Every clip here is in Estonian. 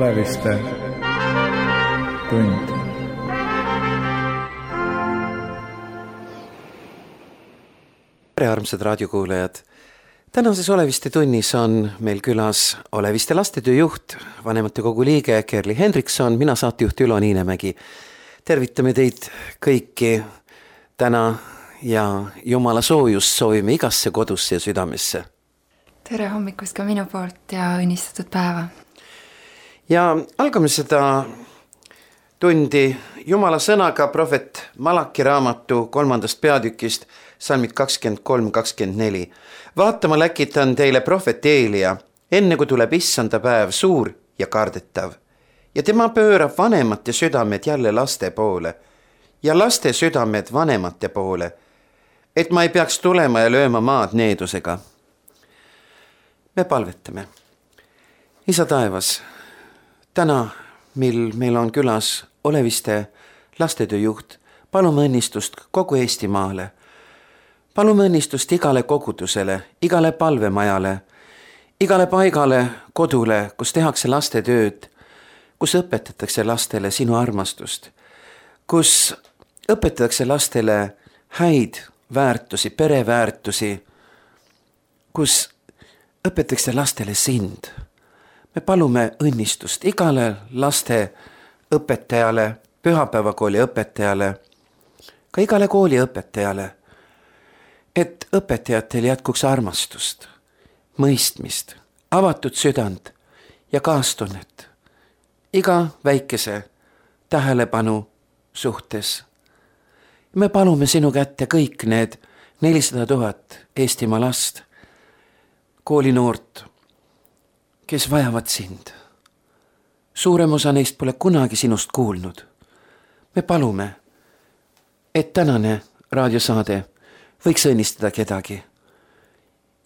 Oleviste tund. Tere, armsad raadiokuulajad! Tänases Oleviste tunnis on meil külas Oleviste lastetöö juht, vanematekogu liige Kerli Hendrikson, mina saatejuht Ülo Niinemägi. Tervitame teid kõiki täna ja Jumala soojust soovime igasse kodusse ja südamesse. Tere hommikust ka minu poolt ja õnnistatud päeva. Ja algame seda tundi Jumala sõnaga prohvet Malaki raamatu 3. peatükist, salmid 23-24. Vaatama läkitan teile prohvet Eelia, enne kui tuleb issanda päev suur ja kardetav. Ja tema pöörab vanemate südamed jälle laste poole ja laste südamed vanemate poole, et ma ei peaks tulema ja lööma maad needusega. Me palvetame. Isa taevas, täna, mil meil on külas Oleviste lastetöö juht, palume õnnistust kogu Eestimaale. Palume õnnistust igale kogudusele, igale palvemajale, igale paigale, kodule, kus tehakse lastetööd, kus õpetatakse lastele sinu armastust, kus õpetatakse lastele häid väärtusi, pereväärtusi, kus õpetatakse lastele sind. Me palume õnnistust igale laste õpetajale, pühapäevakooli õpetajale, ka igale kooli õpetajale, et õpetajatel jätkuks armastust, mõistmist, avatud südant ja kaastunnet iga väikese tähelepanu suhtes. Me palume sinu kätte kõik need 400 000 Eestimaa last, koolinoort, kes vajavad sind. Suurem osa neist pole kunagi sinust kuulnud. Me palume, et tänane raadiosaade võiks õnnistada kedagi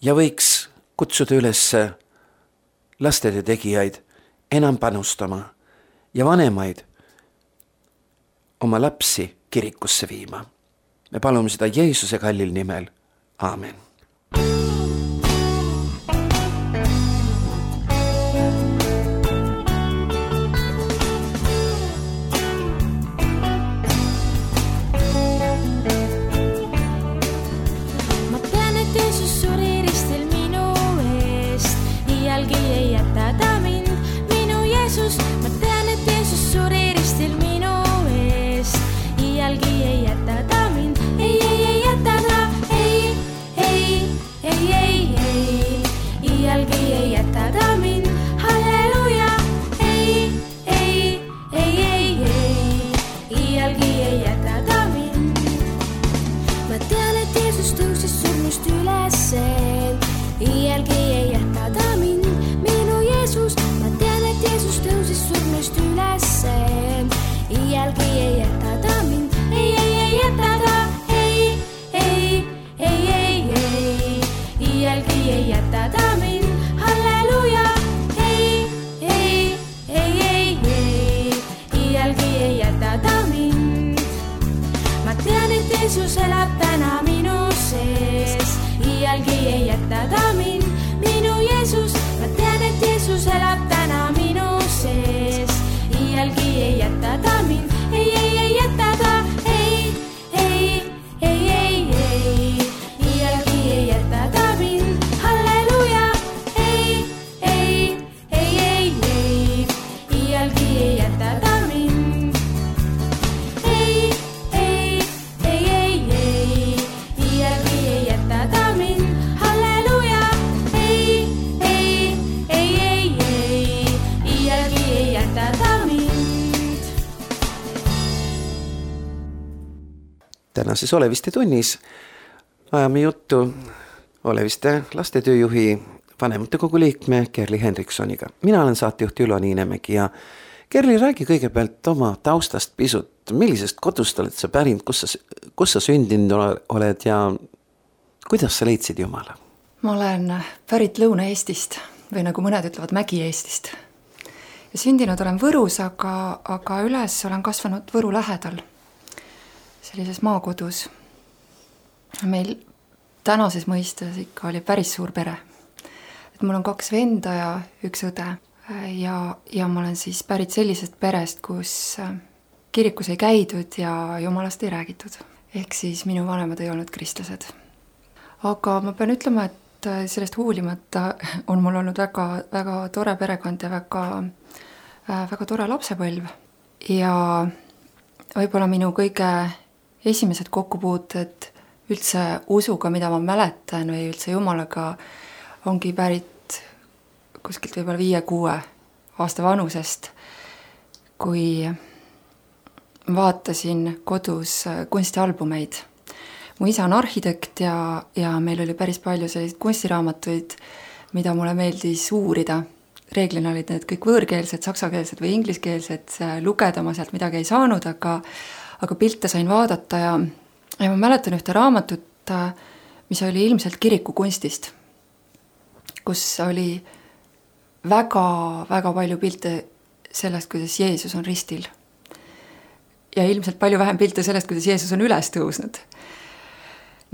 ja võiks kutsuda üles lastetöö tegijaid enam panustama ja vanemaid oma lapsi kirikusse viima. Me palume seda Jeesuse kallil nimel. Aamen. Tänases Oleviste tunnis ajame juttu Oleviste lastetööjuhi vanematekogu liikme Kerli Hendriksoniga. Mina olen saatejuht Ülo Niinemägi ja Kerli, räägi kõigepealt oma taustast pisut. Millisest kodust oled sa pärinud, kus sa sündinud oled ja kuidas sa leidsid Jumala? Ma olen pärit Lõuna-Eestist või nagu mõned ütlevad Mägi-Eestist. Ja sündinud olen Võrus, aga üles olen kasvanud Võru lähedal. Sellises maakodus. Meil tänases mõistes ikka oli päris suur pere. Et mul on 2 venda ja 1 õde. ja ma olen siis pärit sellisest perest, kus kirikus ei käidud ja jumalast ei räägitud. Ehk siis minu vanemad ei olnud kristlased. Aga ma pean ütlema, et sellest hoolimata on mul olnud väga, väga tore perekond ja väga tore lapsepõlv. Ja võib-olla minu kõige esimesed kokkupuuted üldse usuga, mida ma mäletan või üldse Jumalaga, ongi pärit kuskilt võib-olla 5-6 aasta vanusest, kui vaatasin kodus kunstialbumeid. Mu isa on arhitekt ja meil oli päris palju selliseid kunstiraamatuid, mida mulle meeldis uurida. Reeglina olid need kõik võõrkeelsed, saksakeelsed või ingliskeelsed, lugeda ma sealt midagi ei saanud, aga pilte sain vaadata ja ma mäletan ühte raamatut, mis oli ilmselt kirikukunstist, kus oli väga palju pilte sellest, kuidas Jeesus on ristil. Ja ilmselt palju vähem pilte sellest, kuidas Jeesus on üles tõusnud.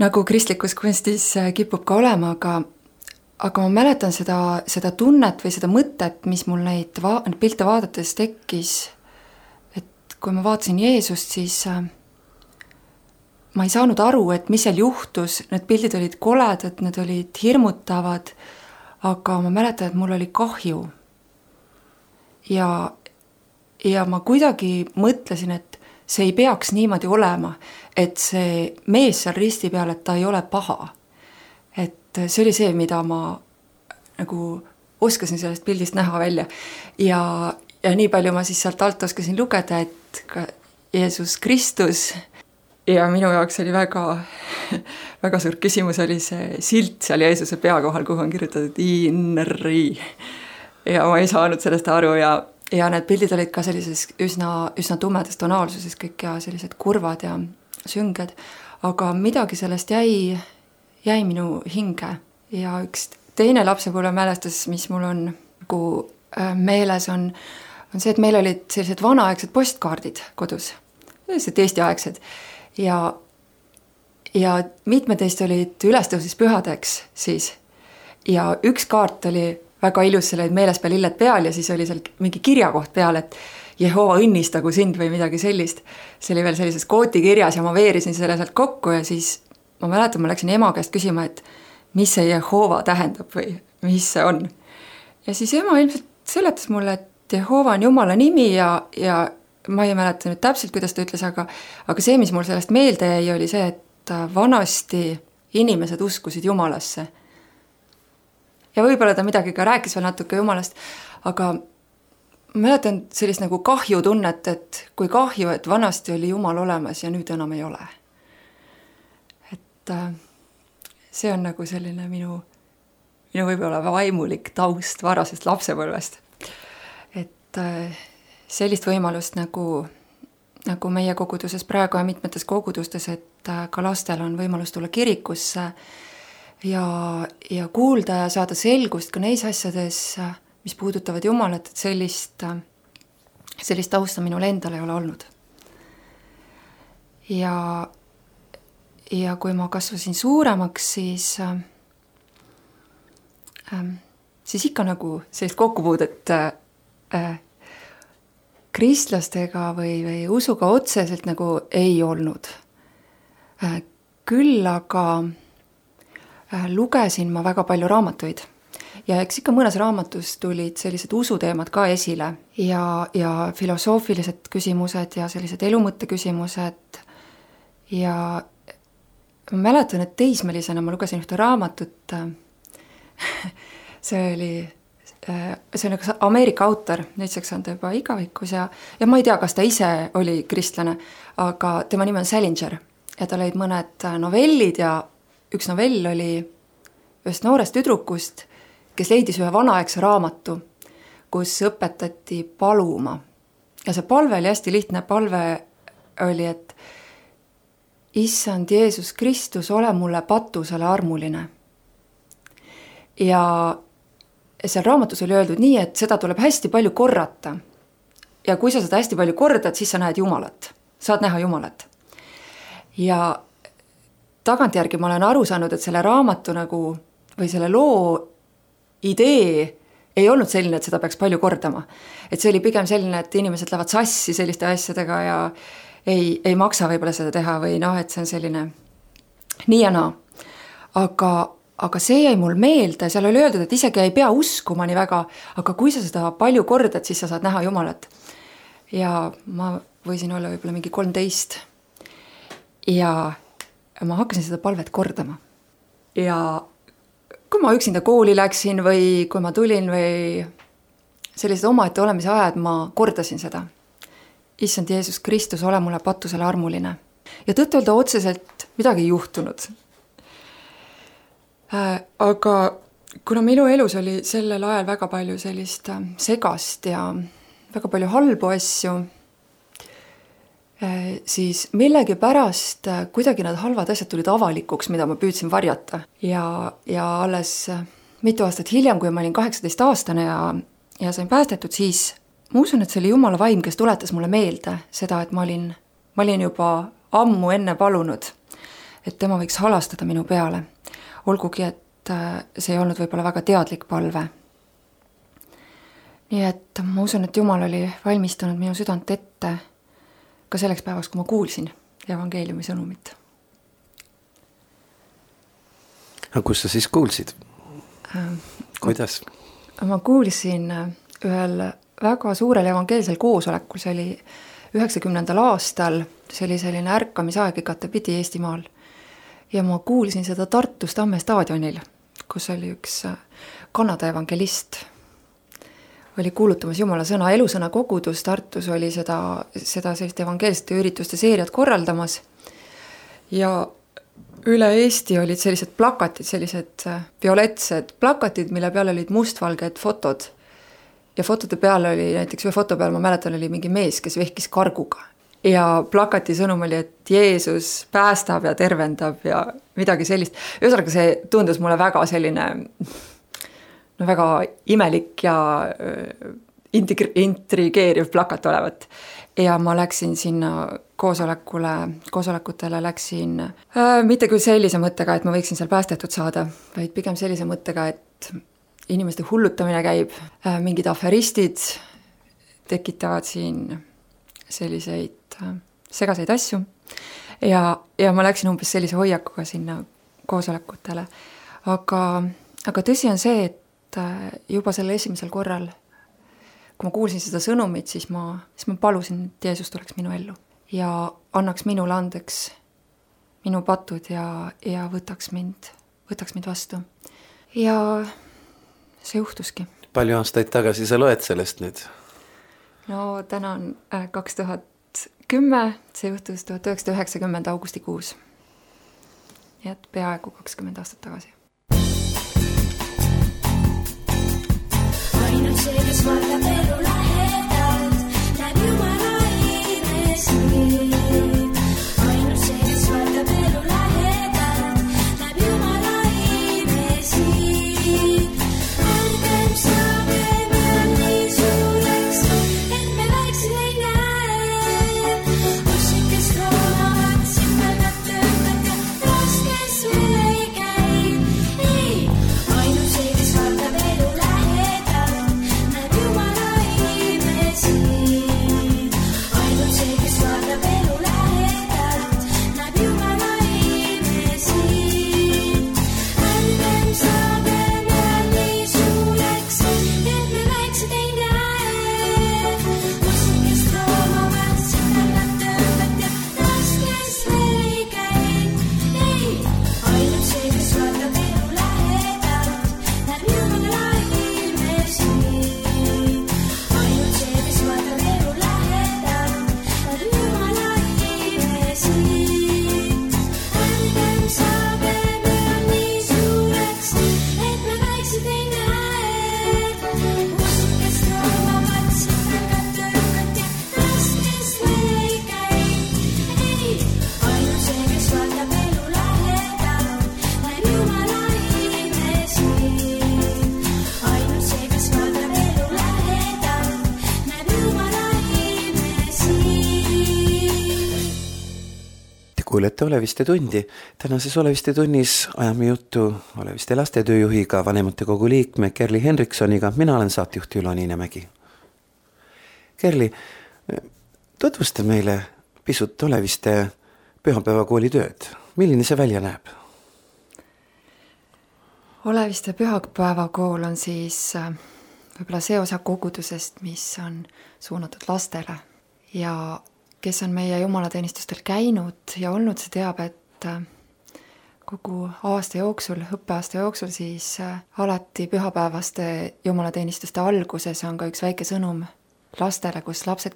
Nagu kristlikus kunstis kipub ka olema, aga ma mäletan seda tunnet või seda mõtet, mis mul neid pilte vaadates tekkis, et kui ma vaatasin Jeesust, siis ma ei saanud aru, et mis seal juhtus, need pildid olid koledad, need olid hirmutavad, aga ma mäletan, et mul oli kahju. Ja ma kuidagi mõtlesin, et see ei peaks niimoodi olema, et see mees seal risti peal, et ta ei ole paha. Et see oli see, mida ma nagu oskasin sellest pildist näha välja. Ja nii palju ma siis sealt alt oskasin lugeda, et ka Jeesus Kristus, ja minu jaoks oli väga suur küsimus oli see silt seal Jeesuse pea kohal, kuhu on kirjutatud INRI. Ja ma ei saanud sellest aru ja need pildid olid ka sellises üsna tumedas tonaalsuses kõik ja sellised kurvad ja sünged, aga midagi sellest jäi minu hinge. Ja üks teine lapsepõlve mälestus, mis mul on nagu meeles, on see, et meil olid sellised vanaaegsed postkaardid kodus, sellised Eesti-aegsed. Ja mitmed teist olid ülestõusmispühadeks siis. Ja üks kaart oli väga ilus, seal olid meeles peal lilled peal ja siis oli seal mingi kirjakoht peal, et Jehova õnnistagu sind või midagi sellist. See oli veel sellises kooti kirjas ja ma veerisin selle sealt kokku ja siis ma mäletan, ma läksin ema käest küsima, et mis see Jehova tähendab või mis see on. Ja siis ema ilmselt seletas mulle, et Jehova on Jumala nimi ja ma ei mäleta nüüd täpselt, kuidas ta ütles, aga see, mis mul sellest meelde jäi, oli see, et vanasti inimesed uskusid Jumalasse. Ja võib-olla ta midagi ka rääkis veel natuke Jumalast, aga ma mäletan sellist nagu kahju tunnet, et kui kahju, et vanasti oli Jumal olemas ja nüüd enam ei ole. Et see on nagu selline minu võib-olla vaimulik taust varasest lapsepõlvest. Et sellist võimalust nagu meie koguduses praegu ja mitmetes kogudustes, et ka lastel on võimalus tulla kirikusse ja kuulda ja saada selgust ka neis asjades, mis puudutavad Jumalat, et sellist tausta minul endal ei ole olnud. Ja kui ma kasvasin suuremaks, siis ikka nagu sellist kokkupuudet kristlastega või usuga otseselt nagu ei olnud. Küll aga lugesin ma väga palju raamatuid ja eks ikka mõnes raamatus tulid sellised usuteemad ka esile ja filosoofilised küsimused ja sellised elumõtte küsimused ja ma mäletan, et teismelisena ma lugesin ühte raamatut, see on üks Ameerika autor, nüüdseks on ta juba igavikus ja ma ei tea, kas ta ise oli kristlane, aga tema nimi on Salinger ja tal olid mõned novellid ja üks novell oli ühest noorest tüdrukust, kes leidis ühe vanaaegse raamatu, kus õpetati paluma. Ja see palve oli hästi lihtne, palve oli, et Issand Jeesus Kristus, ole mulle patusele armuline. Ja seal raamatus oli öeldud nii, et seda tuleb hästi palju korrata. Ja kui sa seda hästi palju kordad, siis sa näed Jumalat. Saad näha Jumalat. Ja tagantjärgi ma olen aru saanud, et selle raamatu nagu, või selle loo idee ei olnud selline, et seda peaks palju kordama. Et see oli pigem selline, et inimesed lähevad sassi selliste asjadega ja ei maksa võib-olla seda teha või et see on selline nii ja naa. Aga see jäi mul meelde, seal oli öeldud, et isegi ei pea uskuma nii väga, aga kui sa seda palju kordad, siis sa saad näha Jumalat. Ja ma võisin olla võib-olla mingi 13 ja ma hakkasin seda palvet kordama. Ja kui ma üksinda kooli läksin või kui ma tulin või sellised omaette olemise ajad, ma kordasin seda. Issand Jeesus Kristus, ole mulle patusele armuline. Ja tõtt-öelda otseselt midagi ei juhtunud. Aga kuna minu elus oli sellel ajal väga palju sellist segast ja väga palju halbu asju, siis millegi pärast kuidagi need halvad asjad tulid avalikuks, mida ma püüdsin varjata. Ja alles mitu aastat hiljem, kui ma olin 18-aastane ja sain päästetud, siis ma usun, et see oli Jumala vaim, kes tuletas mulle meelde seda, et ma olin juba ammu enne palunud, et tema võiks halastada minu peale. Olgugi, et see ei olnud võib-olla väga teadlik palve. Nii et ma usun, et Jumal oli valmistanud minu südant ette ka selleks päevaks, kui ma kuulsin evangeeliumi sõnumit. Aga kus sa siis kuulsid? Kuidas? Ma kuulsin ühel väga suurel evangeelsel koosolekul, see oli 90. aastal, see oli selline ärkamisaeg igatepidi Eestimaal. Ja ma kuulsin seda Tartus Tamme staadionil, kus oli üks Kanada evangelist. Oli kuulutamas Jumala sõna, elusõna kogudus Tartus oli seda sellist evangeelsete ürituste seeriat korraldamas. Ja üle Eesti olid sellised plakatid, sellised violetsed plakatid, mille peal olid mustvalged fotod. Ja fotode peal oli, näiteks ühe foto peal ma mäletan, oli mingi mees, kes vehkis karguga. Ja plakati sõnum oli, et Jeesus päästab ja tervendab ja midagi sellist. Ühesõnaga see tundus mulle väga selline, väga imelik ja intrigeeriv plakat olevat. Ja ma läksin sinna koosolekutele läksin mitte küll sellise mõttega, et ma võiksin seal päästetud saada, vaid pigem sellise mõttega, et inimeste hullutamine käib, mingid aferistid tekitavad siin selliseid segaseid asju ja ma läksin umbes sellise hoiakuga sinna koosolekutele. Aga tõsi on see, et juba selle esimesel korral, kui ma kuulsin seda sõnumit, siis ma palusin, et Jeesus tuleks minu ellu ja annaks minule andeks minu patud ja võtaks mind vastu. Ja see juhtuski. Palju aastaid tagasi sa loed sellest nüüd? No täna on 2010, see juhtus 1990 augustikuus. Nii et peaaegu 20 aastat tagasi. Ainult see, kes valdab elu lähedalt, näeb Jumala imesi. Ainult see, kes valdab elu lähedalt, näeb Jumala imesi. Ärgem saagem ja nii suureks, et me väiksed ei näe. Ussikest roonavad, simpeldat töötad ja raskes veel ei käi. Ei, ainult see, kes valdab elu lähedalt, näeb Jumala imesi. kuulete Oleviste tundi. Tänases Oleviste tunnis ajame juttu Oleviste lastetööjuhiga, vanematekogu liikme Kerli Henriksoniga. Mina olen saatejuht Ülo Niinemägi. Kerli, tutvusta meile pisut Oleviste pühapäevakooli tööd. Milline see välja näeb? Oleviste pühapäevakool on siis võib-olla see osa kogudusest, mis on suunatud lastele. Ja kes on meie jumalateenistustel käinud ja olnud, see teab, et kogu aasta jooksul, õppeaasta jooksul siis alati pühapäevaste jumalateenistuste alguses on ka üks väike sõnum lastele, kus lapsed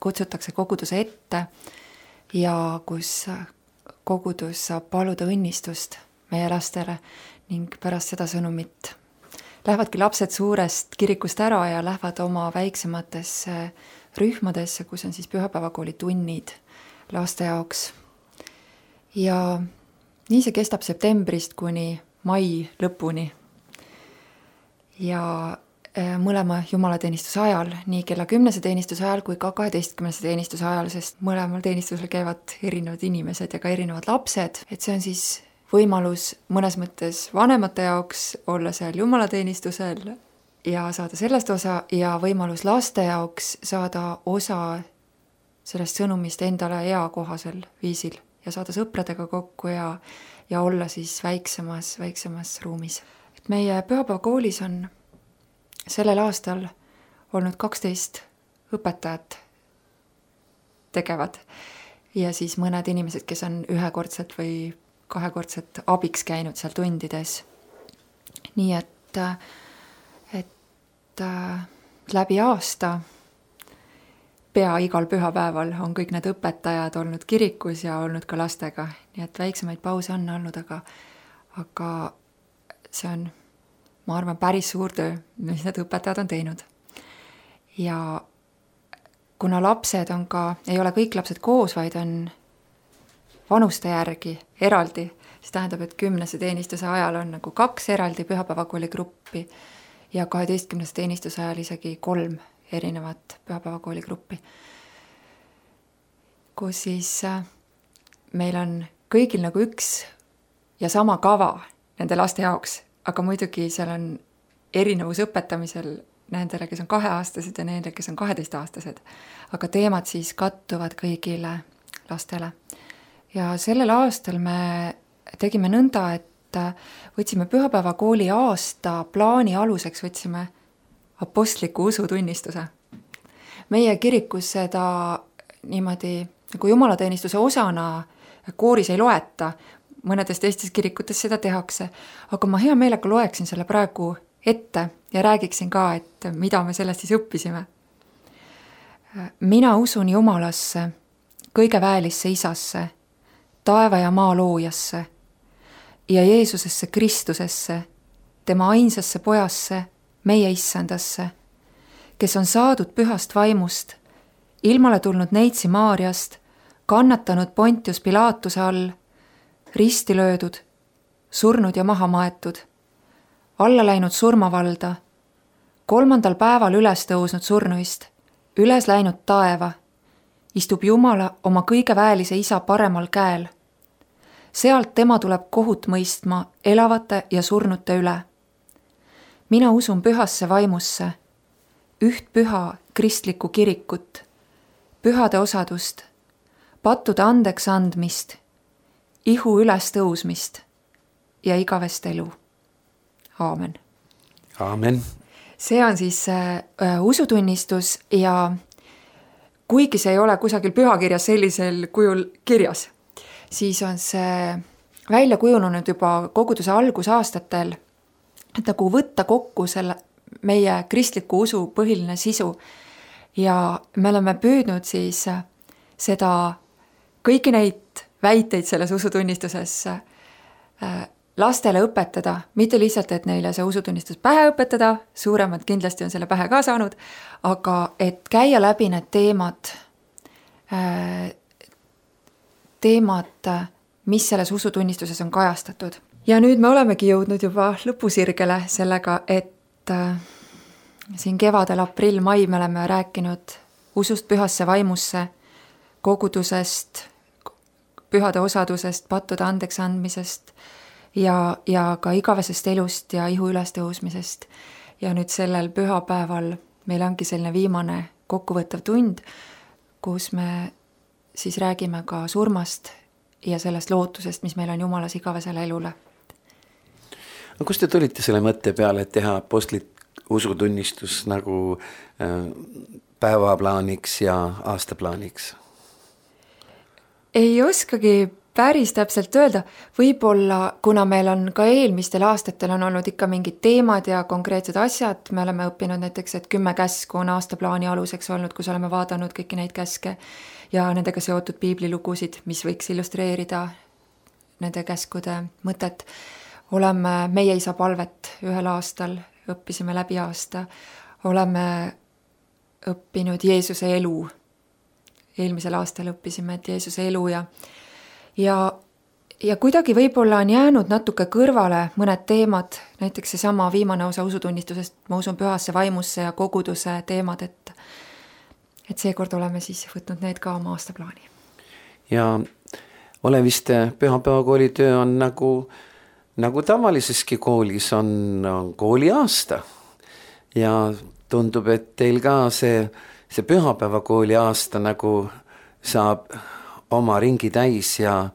kutsutakse koguduse ette ja kus kogudus saab paluda õnnistust meie lastele ning pärast seda sõnumit lähevadki lapsed suurest kirikust ära ja lähevad oma väiksematesse rühmadesse, kus on siis pühapäevakooli tunnid laste jaoks. Ja nii see kestab septembrist kuni mai lõpuni. Ja mõlema jumalateenistuse ajal, nii kella 10 teenistuse ajal kui ka 12 teenistuse ajal, sest mõlemal teenistusel käivad erinevad inimesed ja ka erinevad lapsed, et see on siis võimalus mõnes mõttes vanemate jaoks olla seal jumalateenistusel ja saada sellest osa ja võimalus laste jaoks saada osa sellest sõnumist endale eakohasel viisil ja saada sõpradega kokku ja olla siis väiksemas ruumis. Et meie pühapäevakoolis on sellel aastal olnud 12 õpetajat tegevad ja siis mõned inimesed, kes on ühekordselt või kahekordselt abiks käinud seal tundides. Nii et läbi aasta pea igal pühapäeval on kõik need õpetajad olnud kirikus ja olnud ka lastega. Nii et väiksemaid pause on olnud, aga see on, ma arvan, päris suur töö, mis need õpetajad on teinud. Ja kuna lapsed on ka, ei ole kõik lapsed koos, vaid on vanuste järgi eraldi, siis tähendab, et 10 teenistuse ajal on nagu 2 eraldi pühapäevakooli gruppi ja 12 teenistuse ajal isegi 3 erinevat pühapäevakooli gruppi. Kus siis meil on kõigil nagu üks ja sama kava nende laste jaoks, aga muidugi seal on erinevus õpetamisel nendele, kes on 2-aastased ja nendele, kes on 12-aastased. Aga teemad siis kattuvad kõigile lastele. Ja sellel aastal me tegime nõnda, et võtsime pühapäevakooli aasta plaani aluseks, võtsime apostliku usutunnistuse. Meie kirikus seda niimoodi nagu jumalateenistuse osana kooris ei loeta, mõnedes teistes kirikutes seda tehakse, aga ma hea meelega loeksin selle praegu ette ja räägiksin ka, et mida me sellest siis õppisime. Mina usun Jumalasse, kõige väelisse isasse, taeva ja maa loojasse ja Jeesusesse Kristusesse, tema ainsasse pojasse, meie issandasse, kes on saadud pühast vaimust, ilmale tulnud Neitsi Maariast, kannatanud Pontius Pilaatuse all, risti löödud, surnud ja maha maetud, alla läinud surmavalda, 3. päeval üles tõusnud surnuist, üles läinud taeva, istub Jumala oma kõige väelise isa paremal käel. Sealt tema tuleb kohut mõistma elavate ja surnute üle. Mina usun pühasse vaimusse, üht püha kristlikku kirikut, pühade osadust, pattude andeks andmist, ihu üles tõusmist ja igavest elu. Aamen. Aamen. See on siis usutunnistus ja kuigi see ei ole kusagil pühakirjas sellisel kujul kirjas, siis on see välja kujunenud juba koguduse algusaastatel, et nagu võtta kokku selle meie kristliku usu põhiline sisu. Ja me oleme püüdnud siis seda, kõiki neid väiteid selles usutunnistuses lastele õpetada, mitte lihtsalt, et neile see usutunnistus pähe õpetada, suuremad kindlasti on selle pähe ka saanud, aga et käia läbi need teemad, mis selles usutunnistuses on kajastatud. Ja nüüd me olemegi jõudnud juba lõpusirgele sellega, et siin kevadel, aprill, mai me oleme rääkinud usust pühasse vaimusse, kogudusest, pühade osadusest, pattude andeks andmisest ja ka igavesest elust ja ihu ülestõusmisest. Ja nüüd sellel pühapäeval meil ongi selline viimane kokkuvõttev tund, kus me siis räägime ka surmast ja sellest lootusest, mis meil on Jumalas igavesele elule. No kust te tulite selle mõtte peale, et teha apostlit usutunnistus nagu päevaplaaniks ja aastaplaaniks? Ei oskagi päris täpselt öelda, võib-olla kuna meil on ka eelmistel aastatel on olnud ikka mingid teemad ja konkreetsed asjad, me oleme õppinud näiteks, et 10 käsku on aastaplaani aluseks olnud, kus oleme vaadanud kõiki neid käske ja nendega seotud piiblilugusid, mis võiks illustreerida nende käskude mõtet. Oleme meie isa palvet ühel aastal, õppisime läbi aasta, oleme õppinud Jeesuse elu. Eelmisel aastal õppisime, et Jeesuse elu ja kuidagi võib-olla on jäänud natuke kõrvale mõned teemad, näiteks see sama viimane osa usutunnistusest, ma usun pühasse vaimusse ja koguduse teemad, et seekord oleme siis võtnud need ka oma aastaplaani. Ja Oleviste pühapäevakooli töö on nagu tavaliseski koolis on kooli aasta ja tundub, et teil ka see pühapäevakooli aasta nagu saab oma ringi täis ja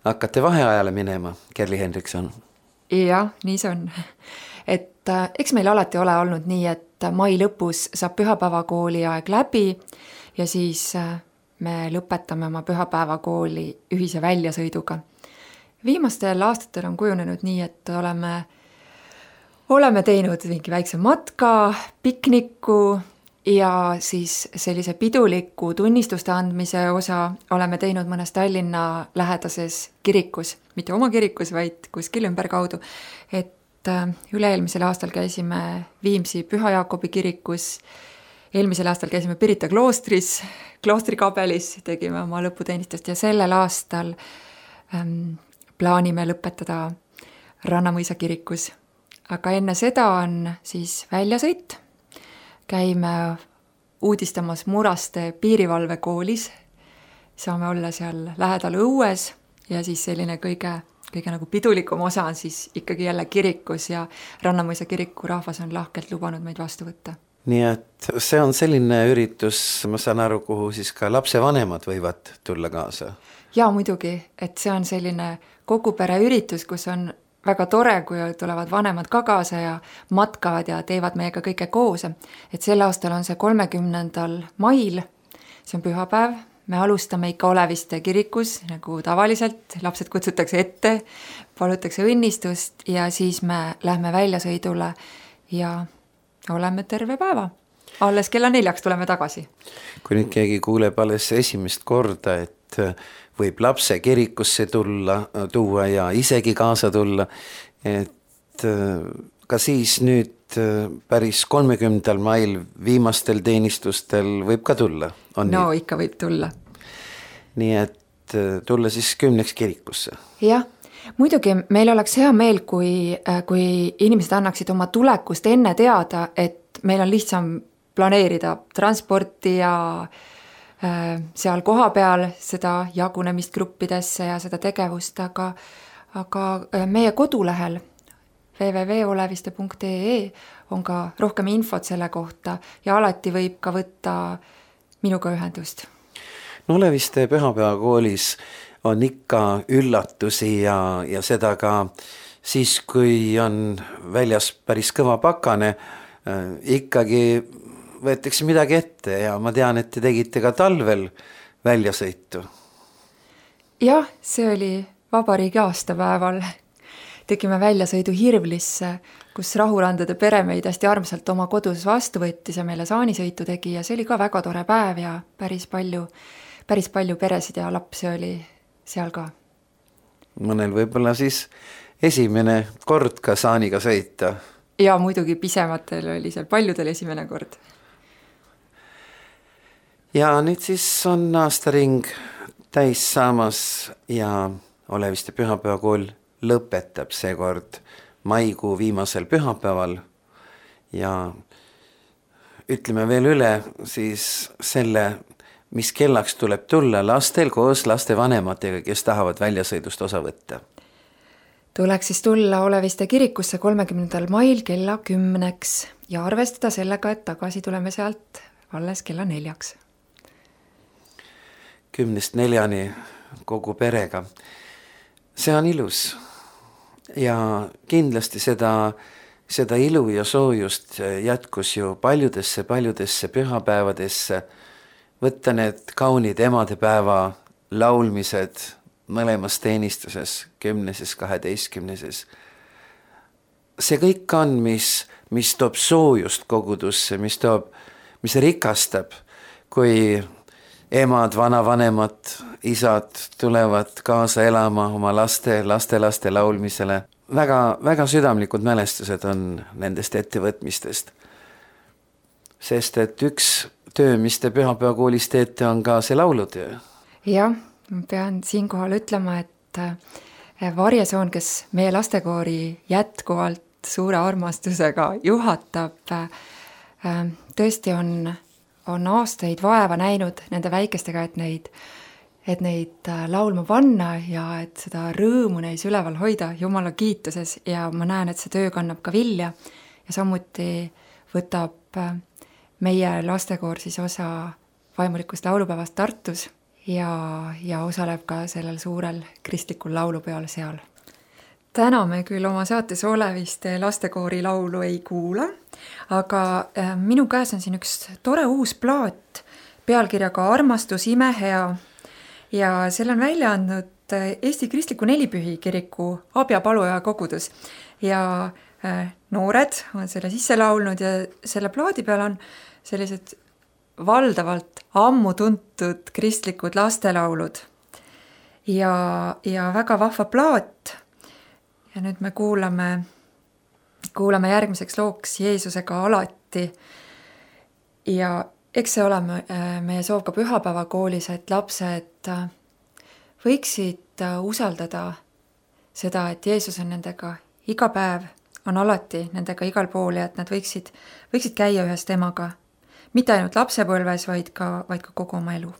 hakkate vaheajale minema, Kerli Hendrikson. Jah, nii see on. Et eks meil alati ole olnud nii, et mai lõpus saab pühapäevakooli aeg läbi ja siis me lõpetame oma pühapäevakooli ühise väljasõiduga. Viimastel aastatel on kujunenud nii, et oleme teinud mingi väikse matka, pikniku ja siis sellise piduliku tunnistuste andmise osa oleme teinud mõnes Tallinna lähedases kirikus, mitte oma kirikus, vaid kuskil ümberkaudu. Et üle-eelmisel aastal käisime Viimsi Püha Jaakobi kirikus, eelmisel aastal käisime Pirita kloostris, kloostrikabelis, tegime oma lõputeenistust ja sellel aastal plaanime lõpetada Rannamõisa kirikus. Aga enne seda on siis väljasõit. Käime uudistamas Muraste piirivalvekoolis. Saame olla seal lähedal õues ja siis selline kõige nagu pidulikum osa on siis ikkagi jälle kirikus ja Rannamõisa kiriku rahvas on lahkelt lubanud meid vastu võtta. Nii et see on selline üritus, ma saan aru, kuhu siis ka lapsevanemad võivad tulla kaasa. Ja muidugi, et see on selline kogu pere üritus, kus on väga tore, kui tulevad vanemad ka kaasa ja matkavad ja teevad meiega kõike koos. Et sel aastal on see 30. mail, see on pühapäev, me alustame ikka Oleviste kirikus, nagu tavaliselt, lapsed kutsutakse ette, palutakse õnnistust ja siis me lähme väljasõidule ja oleme terve päeva. Alles kella 4 tuleme tagasi. Kui nüüd keegi kuuleb alles esimest korda, et võib lapse kirikusse tuua ja isegi kaasa tulla, et ka siis nüüd päris 30. mail viimastel teenistustel võib ka tulla. No ikka võib tulla. Nii et tulla siis 10 kirikusse. Jah, muidugi meil oleks hea meel, kui inimesed annaksid oma tulekust enne teada, et meil on lihtsam planeerida transporti ja seal koha peal seda jagunemist gruppidesse ja seda tegevust, aga meie kodulehel www.oleviste.ee on ka rohkem infot selle kohta ja alati võib ka võtta minuga ühendust. No Oleviste pühapäevakoolis on ikka üllatusi ja seda ka siis, kui on väljas päris kõva pakane, ikkagi võetakse midagi ette ja ma tean, et te tegite ka talvel väljasõitu. Jah, see oli vabariigi aastapäeval. Tegime väljasõidu Hirvlisse, kus Rahurandade pere meid hästi armsalt oma kodus vastu võttis ja meile saanisõitu tegi ja see oli ka väga tore päev ja päris palju peresid ja lapsi oli seal ka. Mõnel võib-olla siis esimene kord ka saaniga sõita. Ja muidugi pisematel oli seal paljudel esimene kord. Ja nüüd siis on aastaring täis saamas ja Oleviste pühapäevakool lõpetab seekord maikuu viimasel pühapäeval ja ütleme veel üle siis selle, mis kellaks tuleb tulla lastel koos lastevanematega, kes tahavad väljasõidust osa võtta? Tuleks siis tulla Oleviste kirikusse 30. mail kella 10 ja arvestada sellega, et tagasi tuleme sealt alles kella 4. 10-4 kogu perega. See on ilus ja kindlasti seda ilu ja soojust jätkus ju paljudesse pühapäevadesse. Võtta need kaunid emadepäeva laulmised mõlemas teenistuses, 10., 12. See kõik on, mis toob soojust kogudusse, mis rikastab, kui emad, vanavanemad, isad tulevad kaasa elama oma lastelaste laulmisele. Väga, väga südamlikud mälestused on nendest ettevõtmistest. Sest et üks töö, mis te pühapäevakoolis teete, on ka see laulutöö. Jah, pean siinkohal ütlema, et Varjesoon, kes meie lastekoori jätkuvalt suure armastusega juhatab, tõesti on aastaid vaeva näinud nende väikestega, et neid laulma panna ja et seda rõõmu neis üleval hoida Jumala kiituses ja ma näen, et see töö kannab ka vilja ja samuti võtab meie lastekoor siis osa vaimulikust laulupäevast Tartus ja osaleb ka sellel suurel kristlikul laulupeol seal. Täna me küll oma saates Oleviste lastekoori laulu ei kuula, aga minu käes on siin üks tore uus plaat pealkirjaga Armastus imehea ja selle on välja andnud Eesti Kristliku Nelipühi kiriku Abjapaluja kogudus ja noored on selle sisse laulnud ja selle plaadi peal on sellised valdavalt ammu tuntud kristlikud lastelaulud ja väga vahva plaat. Ja nüüd me kuulame järgmiseks looks Jeesusega alati ja eks see ole meie soov ka pühapäevakoolis, et lapsed võiksid usaldada seda, et Jeesus on nendega iga päev, on alati nendega igal pool ja et nad võiksid käia ühes temaga, mitte ainult lapsepõlves, vaid ka kogu oma elu.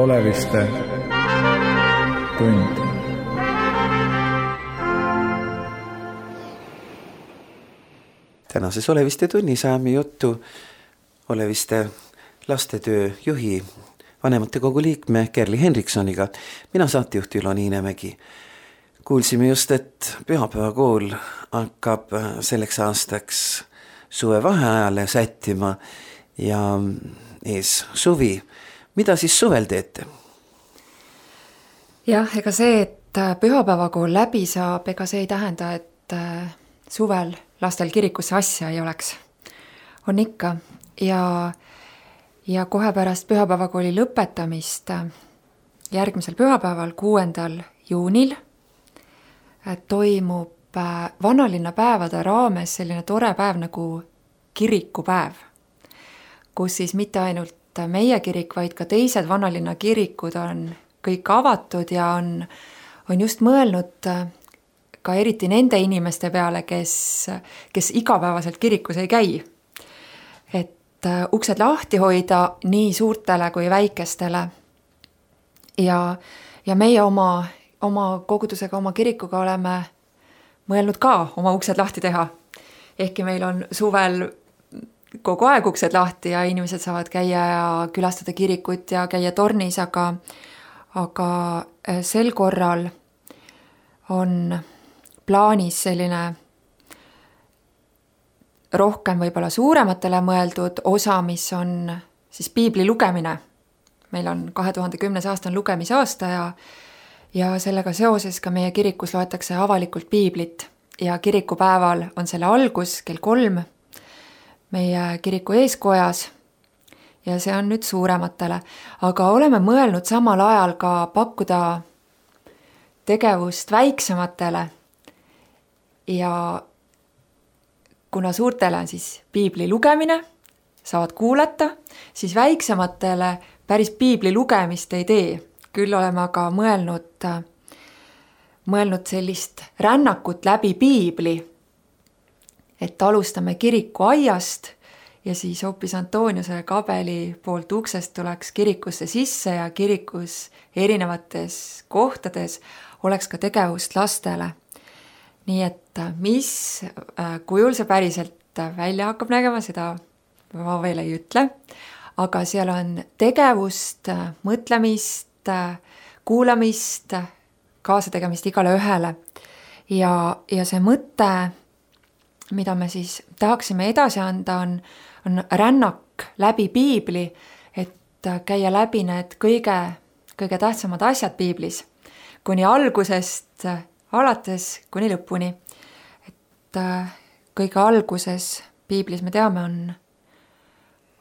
Oleviste tund. Tänases Oleviste tunnis ajame juttu Oleviste lastetöö juhi vanematekogu liikme Kerli Henriksoniga. Mina saatejuht Ülo Niinemägi. Kuulsime just, et pühapäevakool hakkab selleks aastaks suvevaheajale sättima ja ees suvi. Mida siis suvel teete? Jah, ega see, et pühapäevakool läbi saab, ega see ei tähenda, et suvel lastel kirikusse asja ei oleks. On ikka ja kohe pärast pühapäevakooli lõpetamist järgmisel pühapäeval, 6. juunil toimub vanalinna päevade raames selline tore päev nagu kirikupäev, kus siis mitte ainult meie kirik, vaid ka teised vanalinna kirikud on kõik avatud ja on just mõelnud ka eriti nende inimeste peale, kes igapäevaselt kirikus ei käi. Et uksed lahti hoida nii suurtele kui väikestele. Ja meie oma kogudusega, oma kirikuga oleme mõelnud ka oma uksed lahti teha. Ehkki meil on suvel kogu aeg uksed lahti ja inimesed saavad käia ja külastada kirikut ja käia tornis, aga sel korral on plaanis selline rohkem võib-olla suurematele mõeldud osa, mis on siis piibli lugemine. Meil on 2010. aasta on lugemisaasta ja sellega seoses ka meie kirikus loetakse avalikult piiblit ja kirikupäeval on selle algus kell 3 meie kiriku eeskojas ja see on nüüd suurematele, aga oleme mõelnud samal ajal ka pakkuda tegevust väiksematele ja kuna suurtele on siis piibli lugemine, saavad kuulata, siis väiksematele päris piibli lugemist ei tee. Küll oleme aga mõelnud sellist rännakut läbi piibli, et alustame kiriku aiast ja siis hoopis Antoniuse kabeli poolt uksest tuleks kirikusse sisse ja kirikus erinevates kohtades oleks ka tegevust lastele. Nii et mis kujul see päriselt välja hakkab nägema, seda ma veel ei ütle, aga seal on tegevust, mõtlemist, kuulamist, kaasategemist igale ühele. Ja see mõte, mida me siis tahaksime edasi anda, on rännak läbi piibli, et käia läbi need kõige tähtsamad asjad piiblis, kuni algusest alates kuni lõpuni. Et kõige alguses piiblis me teame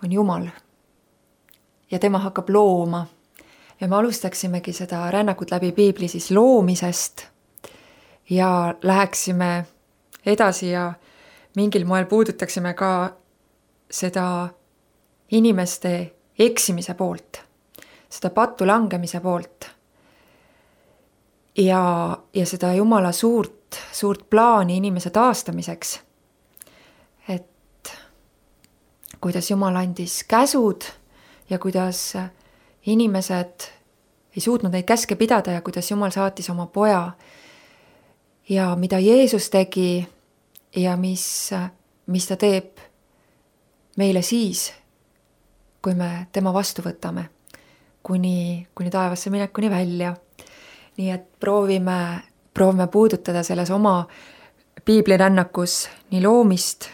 on Jumal ja tema hakkab looma. Ja me alustaksimegi seda rännakut läbi piibli siis loomisest ja läheksime edasi ja mingil moel puudutaksime ka seda inimeste eksimise poolt, seda pattu langemise poolt ja seda Jumala suurt plaani inimese taastamiseks. Et kuidas Jumal andis käsud ja kuidas inimesed ei suutnud neid käske pidada ja kuidas Jumal saatis oma poja ja mida Jeesus tegi ja mis ta teeb meile siis, kui me tema vastu võtame, kuni taevasse minekuni välja. Nii et proovime puudutada selles oma piiblirännakus nii loomist,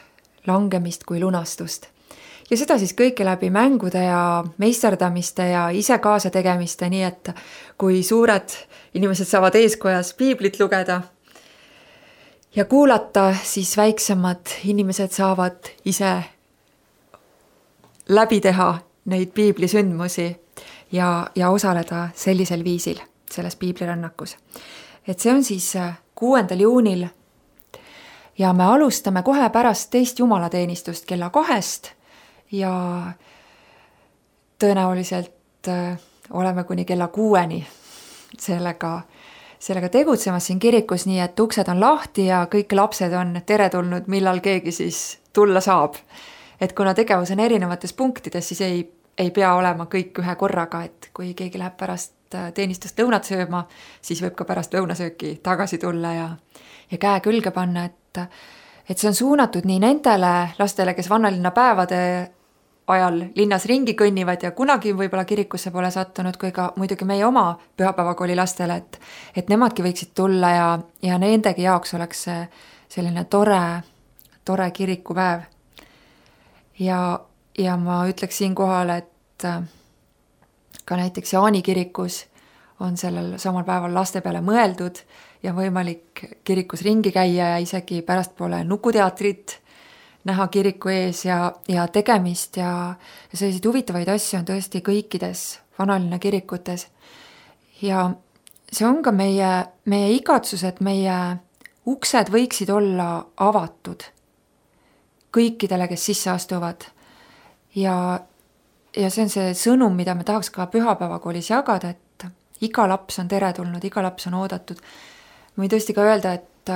langemist kui lunastust. Ja seda siis kõike läbi mängude ja meisterdamiste ja ise kaasa tegemiste, nii et kui suured inimesed saavad eeskojas piiblit lugeda ja kuulata, siis väiksemad inimesed saavad ise läbi teha neid piiblisündmusi ja osaleda sellisel viisil selles piiblirännakus. Et see on siis 6. juunil ja me alustame kohe pärast teist jumalateenistust kella 2 ja tõenäoliselt oleme kuni kella 6 sellega tegutsemas siin kirikus, nii et uksed on lahti ja kõik lapsed on teretulnud, millal keegi siis tulla saab. Et kuna tegevus on erinevates punktides, siis ei pea olema kõik ühe korraga, et kui keegi läheb pärast teenistust lõunat sööma, siis võib ka pärast lõunasööki tagasi tulla ja käe külge panna, et see on suunatud nii nendele lastele, kes vannalinna päevade ajal linnas ringi kõnnivad ja kunagi võib-olla kirikusse pole sattunud, kui ka muidugi meie oma pühapäevakooli lastele, et nemadki võiksid tulla ja nendegi jaoks oleks see selline tore kirikupäev. Ja ma ütleks siinkohal, et ka näiteks Jaani kirikus on sellel samal päeval laste peale mõeldud ja võimalik kirikus ringi käia ja isegi pärastpoole nukuteatrit näha kiriku ees ja tegemist ja selliseid huvitavaid asju on tõesti kõikides vanalinna kirikutes. Ja see on ka meie igatsus, et meie uksed võiksid olla avatud kõikidele, kes sisse astuvad. Ja see on see sõnum, mida me tahaks ka pühapäevakoolis jagada, iga laps on teretulnud, iga laps on oodatud. Ma võin tõesti ka öelda, et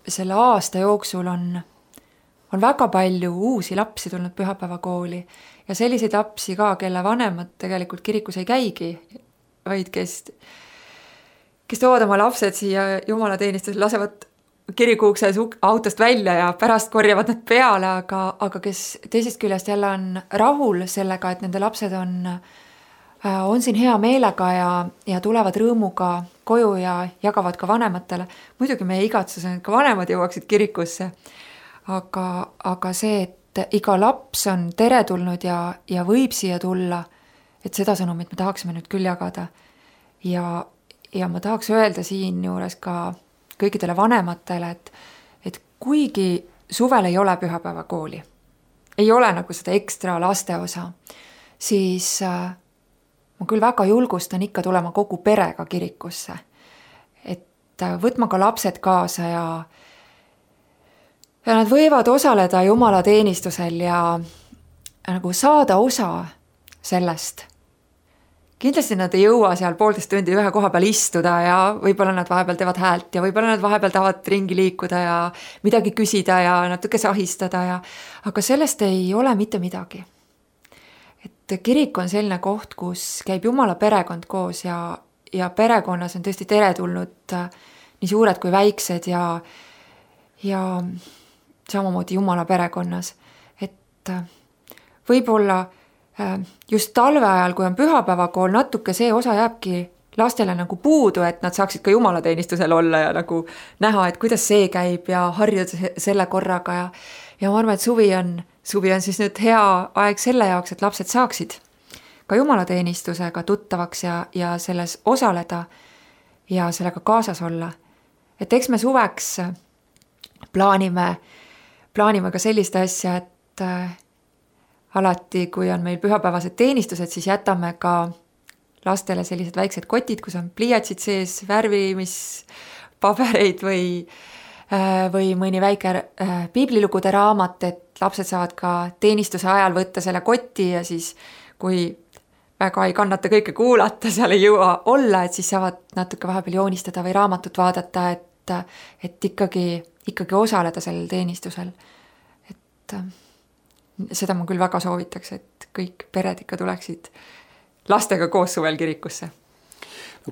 selle aasta jooksul on väga palju uusi lapsi tulnud pühapäevakooli ja selliseid lapsi ka, kelle vanemad tegelikult kirikus ei käigi, vaid kes toovad oma lapsed siia jumalateenistusel, lasevad kirikuukses autost välja ja pärast korjavad nad peale, aga kes teisest küljest jälle on rahul sellega, et nende lapsed on siin hea meelega ja tulevad rõõmuga koju ja jagavad ka vanematele. Muidugi meie igatsus on, et ka vanemad jõuaksid kirikusse, aga see, et iga laps on teretulnud ja võib siia tulla, et seda sõnumit me tahaksime nüüd küll jagada. Ja ma tahaks öelda siin juures ka kõikidele vanematele, et kuigi suvel ei ole pühapäevakooli, ei ole nagu seda ekstra laste osa, siis ma küll väga julgustan ikka tulema kogu perega kirikusse. Et võtma ka lapsed kaasa ja nad võivad osaleda jumalateenistusel ja nagu saada osa sellest. Kindlasti nad ei jõua seal 1,5 tundi ühe koha peal istuda ja võib-olla nad vahepeal teevad häält ja võib-olla nad vahepeal tahavad ringi liikuda ja midagi küsida ja natuke sahistada aga sellest ei ole mitte midagi. Et kirik on selline koht, kus käib Jumala perekond koos ja perekonnas on tõesti teretulnud nii suured kui väiksed ja samamoodi Jumala perekonnas. Et võib-olla just talve ajal, kui on pühapäevakool, natuke see osa jääbki lastele nagu puudu, et nad saaksid ka jumalateenistusel olla ja nagu näha, et kuidas see käib ja harjuda selle korraga ja ma arvan, et suvi on siis nüüd hea aeg selle jaoks, et lapsed saaksid ka jumalateenistusega tuttavaks ja selles osaleda ja sellega kaasas olla. Et eks me suveks plaanime ka sellist asja, et alati, kui on meil pühapäevased teenistused, siis jätame ka lastele sellised väiksed kotid, kus on pliiatsid sees, värvimispabereid või mõni väike piiblilugude raamat, et lapsed saavad ka teenistuse ajal võtta selle kotti ja siis, kui väga ei kannata kõike kuulata, seal ei jõua olla, et siis saavad natuke vahepeal joonistada või raamatut vaadata, et ikkagi osaleda sellel teenistusel. Et seda ma küll väga soovitaks, et kõik pered ikka tuleksid lastega koos suvel kirikusse.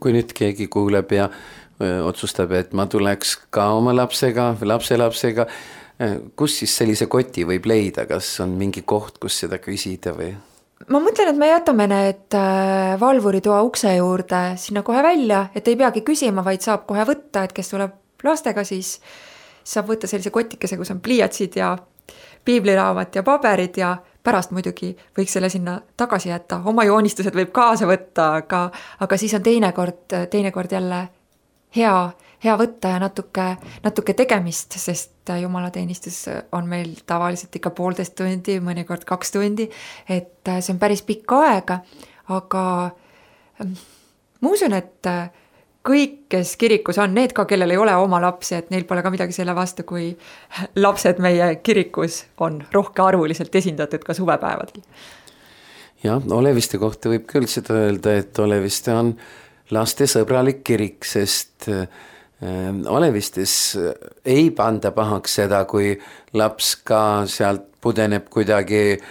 Kui nüüd keegi kuuleb ja otsustab, et ma tuleks ka oma lapsega või lapselapsega, kus siis sellise koti võib leida? Kas on mingi koht, kus seda küsida või? Ma mõtlen, et me jätame need valvuritoa ukse juurde sinna kohe välja, et ei peagi küsima, vaid saab kohe võtta, et kes tuleb lastega, siis saab võtta sellise kotikese, kus on pliiatsid ja piibliraamat ja paberid ja pärast muidugi võiks selle sinna tagasi jätta. Oma joonistused võib kaasa võtta, aga siis on teinekord jälle hea võtta ja natuke tegemist, sest jumalateenistus on meil tavaliselt ikka 1,5 tundi, mõnikord 2 tundi, et see on päris pikka aega, aga ma usun, et kõik, kes kirikus on, need ka, kellel ei ole oma lapsi, et neil pole ka midagi selle vastu, kui lapsed meie kirikus on arvuliselt esindatud ka suvepäevadel. Jah, Oleviste kohta võib küll seda öelda, et Oleviste on lastesõbralik kirik, sest Olevistes ei panda pahaks seda, kui laps ka sealt pudeneb kuidagi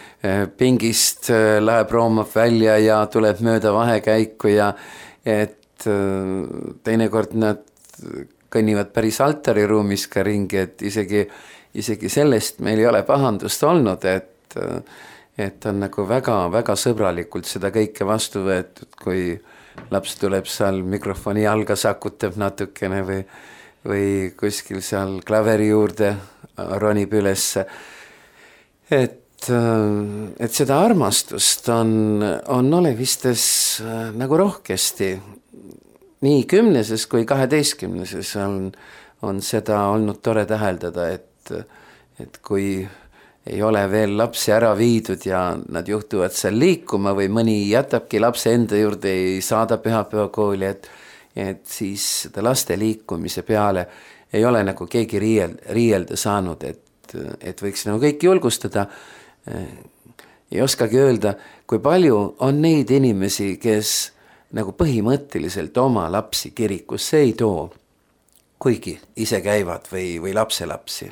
pingist, läheb roomab välja ja tuleb mööda vahekäiku ja et teinekord nad kõnnivad päris altariruumis ka ringi, et isegi sellest meil ei ole pahandust olnud, et on nagu väga sõbralikult seda kõike vastu võetud, kui laps tuleb seal mikrofoni jalga sakutab natukene või kuskil seal klaveri juurde ronib ülesse. Et seda armastust on Olevistes nagu rohkesti. Nii 10. kui 12. on seda olnud tore täheldada, et kui ei ole veel lapsi ära viidud ja nad juhtuvad seal liikuma või mõni jätabki lapse enda juurde, ei saada pühapäevakooli, et siis seda laste liikumise peale ei ole nagu keegi riielda saanud, et võiks nagu kõik julgustada. Ei oskagi öelda, kui palju on neid inimesi, kes nagu põhimõtteliselt oma lapsi kirikusse ei too, kuigi ise käivad või lapselapsi?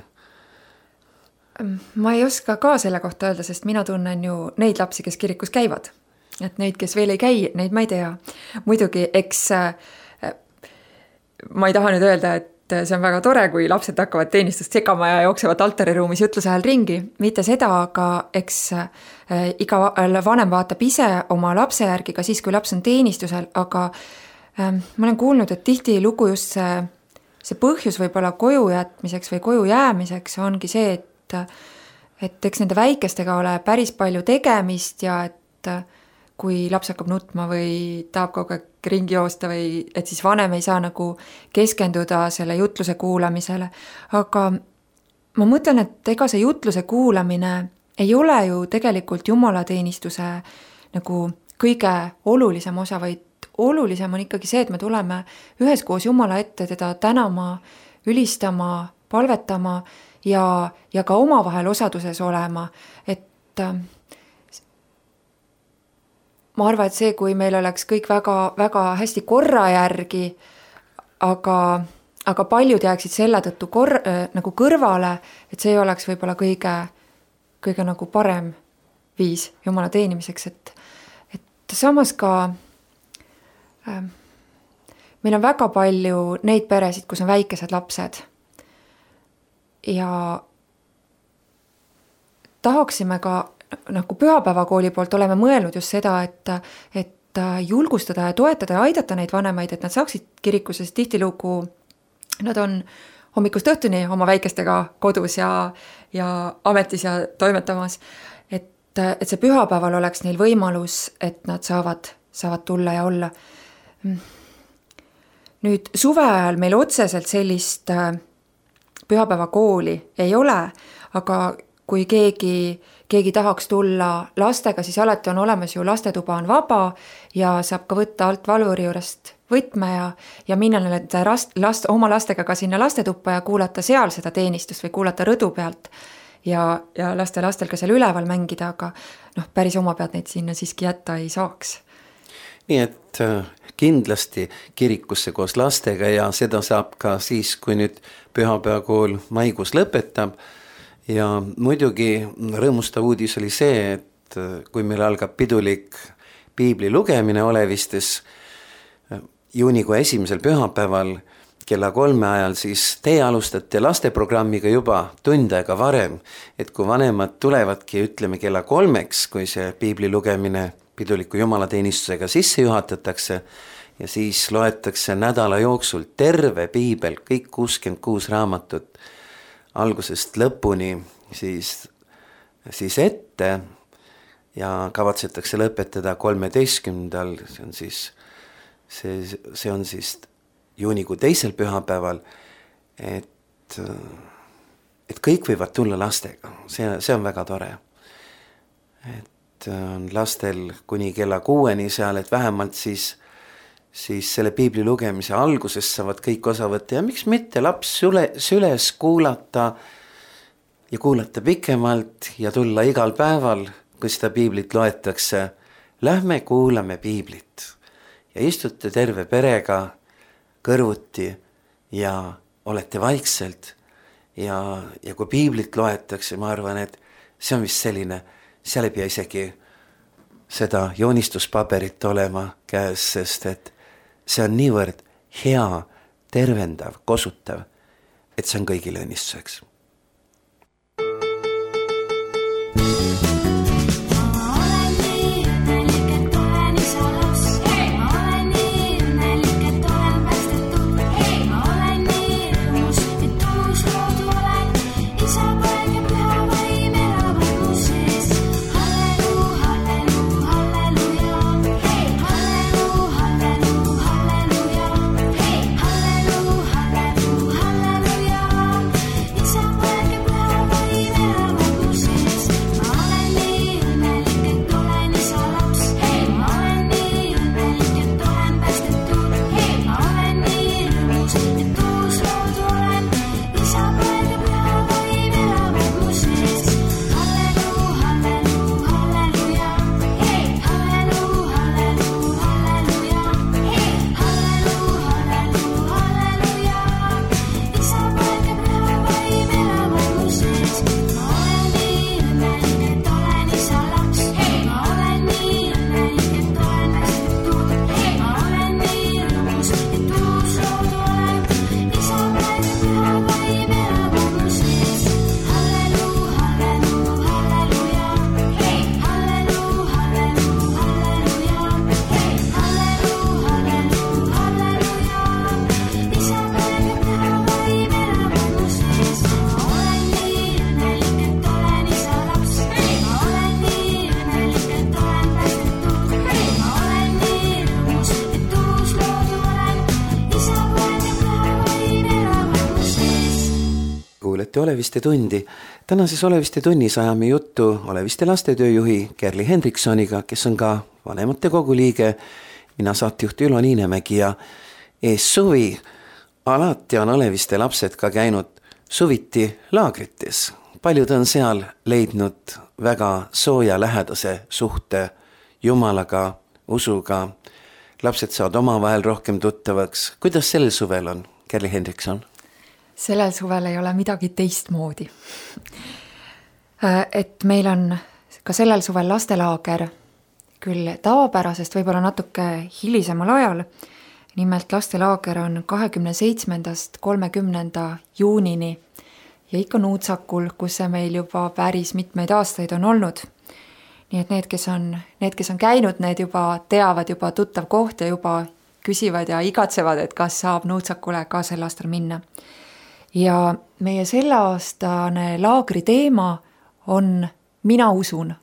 Ma ei oska ka selle kohta öelda, sest mina tunnen ju neid lapsi, kes kirikus käivad. Et neid, kes veel ei käi, neid ma ei tea. Muidugi, eks ma ei taha nüüd öelda, et see on väga tore, kui lapsed hakkavad teenistust segama ja jooksevad altariruumis jutluse ajal ringi. Mitte seda, aga eks iga vanem vaatab ise oma lapse järgi ka siis, kui laps on teenistusel, aga ma olen kuulnud, et tihti lugu just see põhjus võib-olla koju jätmiseks või koju jäämiseks ongi see, et eks nende väikestega ole päris palju tegemist ja et kui laps hakkab nutma või tahab kogu aeg ringi joosta või et siis vanem ei saa nagu keskenduda selle jutluse kuulamisele. Aga ma mõtlen, et ega see jutluse kuulamine ei ole ju tegelikult jumalateenistuse nagu kõige olulisem osa, vaid olulisem on ikkagi see, et me tuleme üheskoos Jumala ette teda tänama, ülistama, palvetama ja ka omavahel osaduses olema, et ma arvan, et see, kui meil oleks kõik väga, väga hästi korra järgi, aga paljud jääksid selle tõttu nagu kõrvale, et see oleks võib-olla kõige nagu parem viis Jumala teenimiseks, et samas ka meil on väga palju neid peresid, kus on väikesed lapsed ja tahaksime ka nagu pühapäevakooli poolt oleme mõelnud just seda, et julgustada ja toetada ja aidata neid vanemaid, et nad saaksid kirikusse, sest tihtilugu nad on hommikust õhtuni oma väikestega kodus ja ametis ja toimetamas, et see pühapäeval oleks neil võimalus, et nad saavad tulla ja olla. Nüüd suve ajal meil otseselt sellist pühapäevakooli ei ole, aga kui keegi tahaks tulla lastega, siis alati on olemas ju lastetuba on vaba ja saab ka võtta alt valvuri juurest võtme ja minna oma lastega ka sinna lastetuppa ja kuulata seal seda teenistust või kuulata rõdu pealt ja lastel ka seal üleval mängida, aga päris oma pealt neid sinna siiski jätta ei saaks. Nii et kindlasti kirikusse koos lastega ja seda saab ka siis, kui nüüd pühapäevakool maikuus lõpetab. Ja muidugi rõõmustav uudis oli see, et kui meil algab pidulik piibli lugemine Olevistes juunikuu 1. pühapäeval kella 3 ajal, siis teie alustate lasteprogrammiga juba tund aega varem, et kui vanemad tulevadki, ütleme kella 3, kui see piibli lugemine piduliku jumalateenistusega sisse juhatatakse ja siis loetakse nädala jooksul terve piibel, kõik 66 raamatut algusest lõpuni siis ette ja kavatsetakse lõpetada 13. See on siis juunikuu 2. pühapäeval, et kõik võivad tulla lastega, see on väga tore. Et on lastel kuni kella 6 seal, et vähemalt siis selle piibli lugemise alguses saavad kõik osa võtta ja miks mitte laps süles kuulata ja kuulata pikemalt ja tulla igal päeval, kui seda piiblit loetakse. Lähme kuulame piiblit ja istute terve perega kõrvuti ja olete vaikselt ja kui piiblit loetakse, ma arvan, et see on vist selline, seal ei pea isegi seda joonistuspaberit olema käes, sest et see on niivõrd hea, tervendav, kosutav, et see on kõigile õnnistuseks. Isa kuulate Oleviste tundi. Tänases Oleviste tunnis ajame juttu Oleviste lastetööjuhi Kerli Hendriksoniga, kes on ka vanematekogu liige. Mina saatejuht Ülo Niinemägi ja ees suvi. Alati on Oleviste lapsed ka käinud suviti laagrites. Paljud on seal leidnud väga sooja lähedase suhte Jumalaga, usuga. Lapsed saavad omavahel rohkem tuttavaks. Kuidas sellel suvel on, Kerli Hendrikson? Sellel suvel ei ole midagi teistmoodi. Et meil on ka sellel suvel lastelaager, küll tavapärasest võib-olla natuke hilisemal ajal. Nimelt lastelaager on 27. 30. juunini ja ikka Nuutsakul, kus see meil juba päris mitmeid aastaid on olnud. Nii et need, kes on käinud, need juba teavad juba tuttav koht ja juba küsivad ja igatsevad, et kas saab Nuutsakule ka sel aastal minna. Ja meie selleaastane laagri teema on Mina usun.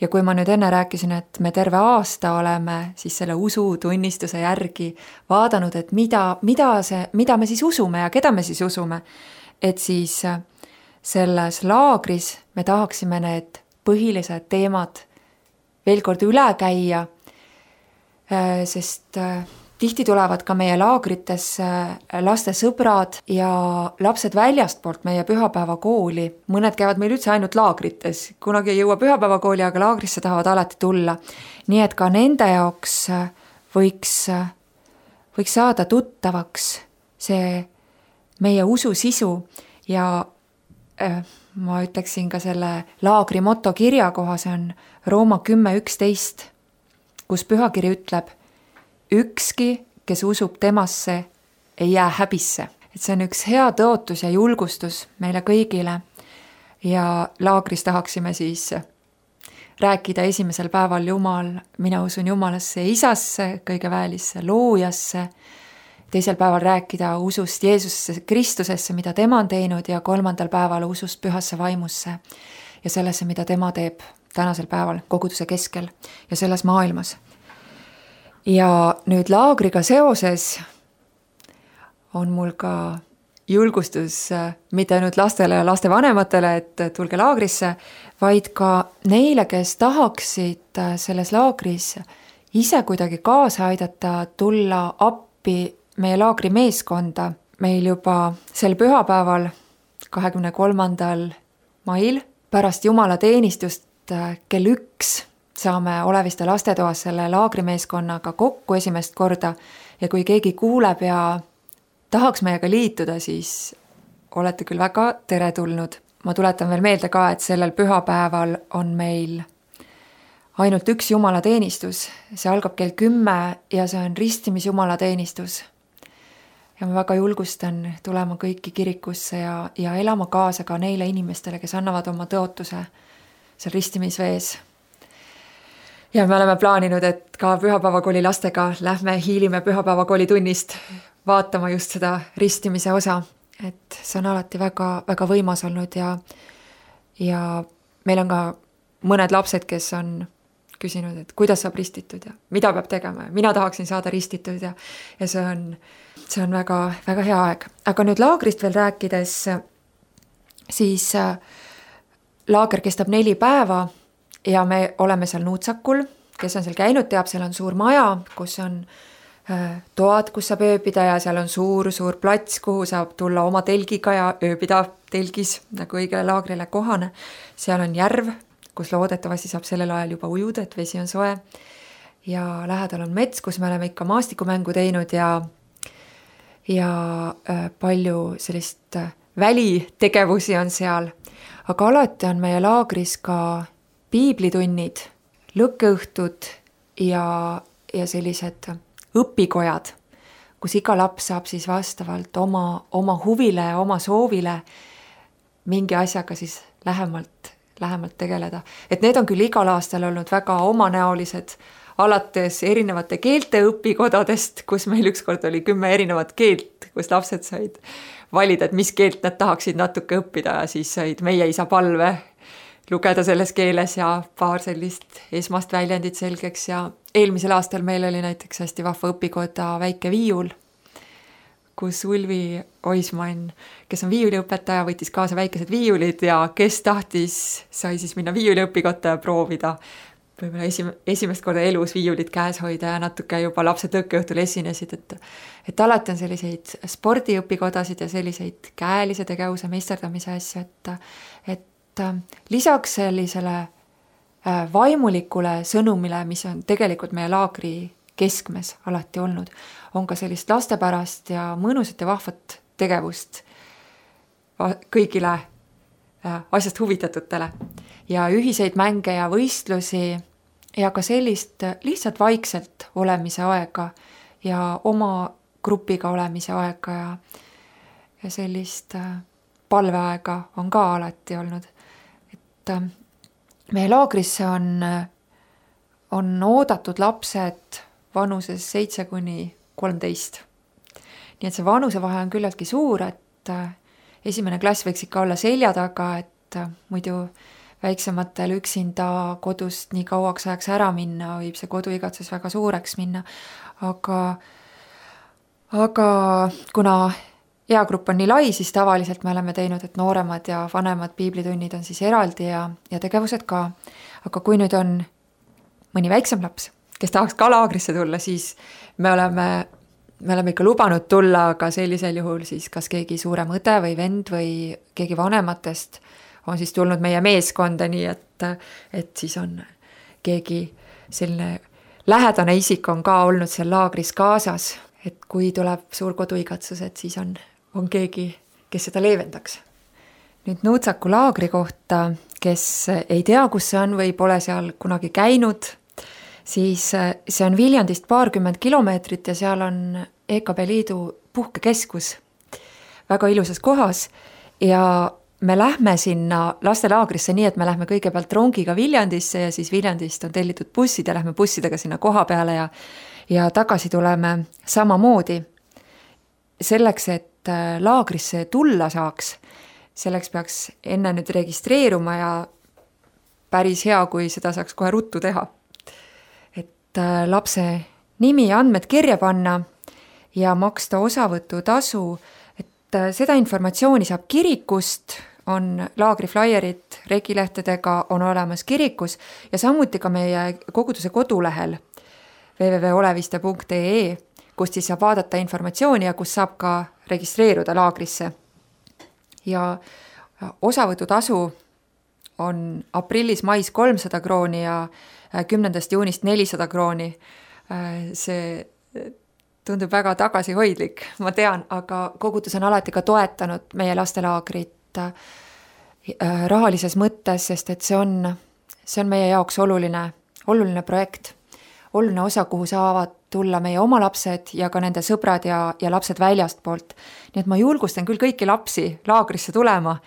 Ja kui ma nüüd enne rääkisin, et me terve aasta oleme siis selle usutunnistuse järgi vaadanud, et mida me siis usume ja keda me siis usume, et siis selles laagris me tahaksime need põhilised teemad veel kord üle käia, sest tihti tulevad ka meie laagritesse laste sõbrad ja lapsed väljastpoolt meie pühapäevakooli. Mõned käivad meil üldse ainult laagrites, kunagi ei jõua pühapäevakooli, aga laagrisse tahavad alati tulla. Nii et ka nende jaoks võiks saada tuttavaks see meie usu sisu ja ma ütleksin ka selle laagri moto kirja koha, see on Rooma 10.11, kus pühakiri ütleb, ükski, kes usub temasse, ei jää häbisse. Et see on üks hea tõotus ja julgustus meile kõigile. Ja laagris tahaksime siis rääkida esimesel päeval mina usun Jumalasse ja Isasse, kõige väelisse loojasse. Teisel päeval rääkida usust Jeesusesse Kristusesse, mida tema on teinud ja 3. päeval usust pühasse vaimusse ja sellesse, mida tema teeb tänasel päeval koguduse keskel ja selles maailmas. Ja nüüd laagriga seoses on mul ka julgustus mitte ainult lastele ja laste vanematele, et tulge laagrisse, vaid ka neile, kes tahaksid selles laagris ise kuidagi kaasa aidata, tulla appi meie laagri meeskonda. Meil juba sel pühapäeval 23. mail pärast jumalateenistust kell 1 saame Oleviste lastetoas selle laagrimeeskonnaga kokku esimest korda ja kui keegi kuuleb ja tahaks meiega liituda, siis olete küll väga teretulnud. Ma tuletan veel meelde ka, et sellel pühapäeval on meil ainult üks jumalateenistus. See algab kell 10 ja see on ristimisjumalateenistus. Ja ma väga julgustan tulema kõiki kirikusse ja elama kaasa ka neile inimestele, kes annavad oma tõotuse seal ristimisvees. Ja me oleme plaaninud, et ka pühapäevakooli lastega lähme hiilime pühapäevakooli tunnist vaatama just seda ristimise osa. Et see on alati väga, väga võimas olnud ja meil on ka mõned lapsed, kes on küsinud, et kuidas saab ristitud ja mida peab tegema. Mina tahaksin saada ristitud ja see on väga, väga hea aeg. Aga nüüd laagrist veel rääkides, siis laager kestab 4 päeva ja me oleme seal Nuutsakul, kes on seal käinud, teab, seal on suur maja, kus on toad, kus saab ööbida ja seal on suur plats, kuhu saab tulla oma telgiga ja ööbida telgis nagu õigele laagrile kohane. Seal on järv, kus loodetavasti saab sellel ajal juba ujuda, et vesi on soe. Ja lähedal on mets, kus me oleme ikka maastikumängu teinud ja palju sellist välitegevusi on seal. Aga alati on meie laagris ka piiblitunnid, lõkkeõhtud ja sellised õpikojad, kus iga laps saab siis vastavalt oma huvile ja oma soovile mingi asjaga siis lähemalt tegeleda. Et need on küll igal aastal olnud väga omanäolised, alates erinevate keelte õpikodadest, kus meil ükskord oli 10 erinevat keelt, kus lapsed said valida, et mis keelt nad tahaksid natuke õppida ja siis said meie isa palve lugeda selles keeles ja paar sellist esmast väljendit selgeks ja eelmisel aastal meil oli näiteks hästi vahva õpikoda Väike Viiul, kus Ulvi Oismann, kes on viiuliõpetaja, võttis kaasa väikesed viiulid ja kes tahtis, sai siis minna viiuliõpikotta ja proovida võib-olla esimest korda elus viiulit käes hoida ja natuke juba lapsed tõukeõhtul esinesid, et alati on selliseid spordiõpikodasid ja selliseid käelise tegevuse meisterdamise asju, et lisaks sellisele vaimulikule sõnumile, mis on tegelikult meie laagri keskmes alati olnud, on ka sellist lastepärast ja mõnusat ja vahvat tegevust kõigile asjast huvitatutele ja ühiseid mänge ja võistlusi ja ka sellist lihtsalt vaikselt olemise aega ja oma grupiga olemise aega ja sellist palveaega on ka alati olnud. Et meie laagrisse on oodatud lapsed vanuses 7–13. Nii et see vanusevahe on küllaltki suur, et esimene klass võiks ikka olla selja taga, et muidu väiksematel üksinda kodust nii kauaks ajaks ära minna, võib see koduigatsus väga suureks minna. Aga kuna eagrupp on nii lai, siis tavaliselt me oleme teinud, et nooremad ja vanemad piiblitunnid on siis eraldi ja tegevused ka. Aga kui nüüd on mõni väiksem laps, kes tahaks ka laagrisse tulla, siis me oleme ikka lubanud tulla, aga sellisel juhul siis kas keegi suurem õde või vend või keegi vanematest on siis tulnud meie meeskonda, nii et siis on keegi selline lähedane isik on ka olnud seal laagris kaasas, et kui tuleb suur koduigatsus, et siis on keegi, kes seda leevendaks. Nüüd Nuutsaku laagri kohta, kes ei tea, kus see on või pole seal kunagi käinud, siis see on Viljandist 20 kilomeetrit ja seal on EKB Liidu puhkekeskus väga ilusas kohas ja me lähme sinna lastelaagrisse nii, et me lähme kõigepealt rongiga Viljandisse ja siis Viljandist on tellitud bussid ja lähme bussidega sinna koha peale ja tagasi tuleme samamoodi. Selleks, et laagrisse tulla saaks, selleks peaks enne nüüd registreeruma ja päris hea, kui seda saaks kohe ruttu teha. Et lapse nimi ja andmed kirja panna ja maksta osavõtutasu, et seda informatsiooni saab kirikust, on laagriflaierid regilehtedega on olemas kirikus ja samuti ka meie koguduse kodulehel www.oleviste.ee, kust siis saab vaadata informatsiooni ja kus saab ka registreeruda laagrisse. Ja osavõtutasu on aprillis-mais 300 krooni ja 10. juunist 400 krooni. See tundub väga tagasihoidlik, ma tean, aga kogudus on alati ka toetanud meie lastelaagrit rahalises mõttes, sest et see on meie jaoks oluline projekt, oluline osa, kuhu saavad tulla meie oma lapsed ja ka nende sõbrad ja lapsed väljast poolt. Nii et ma julgustan küll kõiki lapsi laagrisse tulema.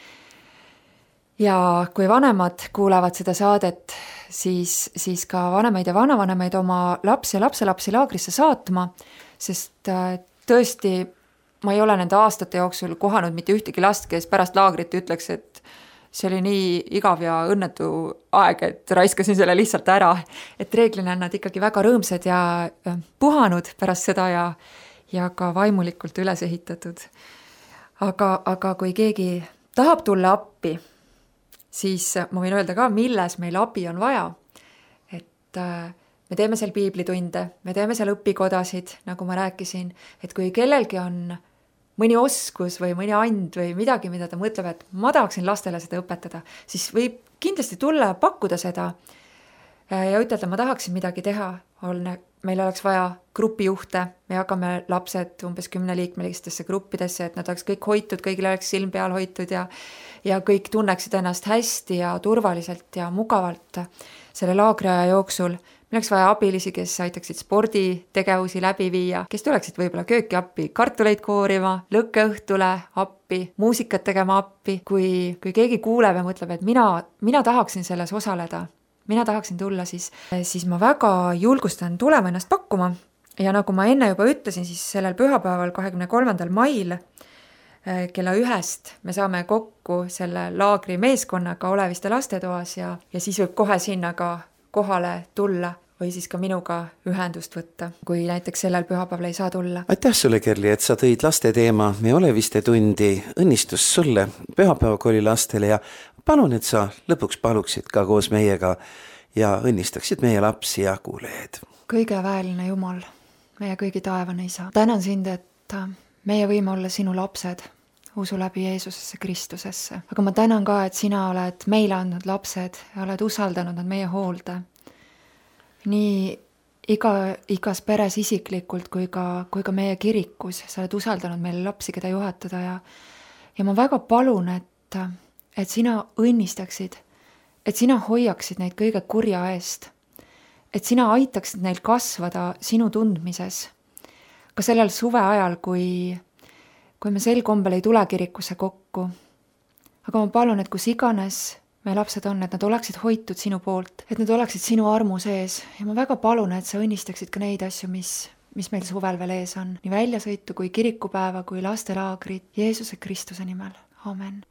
Ja kui vanemad kuulevad seda saadet, siis ka vanemaid ja vanavanemaid oma lapsi ja lapselapsi laagrisse saatma, sest tõesti ma ei ole nende aastate jooksul kohanud mitte ühtegi last, kes pärast laagrit ütleks, et see oli nii igav ja õnnetu aeg, et raiskasin selle lihtsalt ära. Et reeglina on nad ikkagi väga rõõmsad ja puhanud pärast seda ja ka vaimulikult üles ehitatud. Aga kui keegi tahab tulla appi, siis ma võin öelda ka, milles meil abi on vaja. Et me teeme seal piiblitunde, me teeme seal õpikodasid, nagu ma rääkisin, et kui kellelgi on mõni oskus või mõni and või midagi, mida ta mõtleb, et ma tahaksin lastele seda õpetada, siis võib kindlasti tulla ja pakkuda seda ja ütelda, ma tahaksin midagi teha. Meil oleks vaja grupijuhte, me jagame lapsed umbes 10-liikmelistesse gruppidesse, et nad oleks kõik hoitud, kõigil oleks silm peal hoitud ja kõik tunneksid ennast hästi ja turvaliselt ja mugavalt selle laagriaja jooksul. Meil oleks vaja abilisi, kes aitaksid sporditegevusi läbi viia, kes tuleksid võib-olla kööki appi, kartuleid koorima, lõkkeõhtule appi, muusikat tegema appi. Kui keegi kuuleb ja mõtleb, et mina tahaksin selles osaleda, mina tahaksin tulla, siis ma väga julgustan tulema ennast pakkuma. Ja nagu ma enne juba ütlesin, siis sellel pühapäeval 23. mail kella 1 me saame kokku selle laagri meeskonnaga Oleviste lastetoas ja siis võib kohe sinna ka kohale tulla. või siis ka minuga ühendust võtta, kui näiteks sellel pühapäeval ei saa tulla. Aitäh sulle, Kerli, et sa tõid laste teema Me Oleviste tundi. Õnnistus sulle pühapäevakooli lastele ja palun, et sa lõpuks paluksid ka koos meiega ja õnnistaksid meie lapsi ja kuulejaid. Kõige väeline Jumal, meie kõigi taevane Isa. Tänan sind, et meie võime olla sinu lapsed, usu läbi Jeesusesse Kristusesse. Aga ma tänan ka, et sina oled meile andnud lapsed ja oled usaldanud nad meie hoolde. Nii igas peres isiklikult kui ka meie kirikus. Sa oled usaldanud meile lapsi, keda juhatada ja ma väga palun, et sina õnnistaksid, et sina hoiaksid neid kõige kurja eest, et sina aitaksid neil kasvada sinu tundmises. Ka sellel suve ajal, kui me sel kombel ei tule kirikusse kokku. Aga ma palun, et kus iganes meie lapsed on, et nad oleksid hoitud sinu poolt, et nad oleksid sinu armu sees. Ja ma väga palun, et sa õnnistaksid ka neid asju, mis meil suvel veel ees on. Nii väljasõitu kui kirikupäeva, kui lastelaagrid. Jeesuse Kristuse nimel. Amen.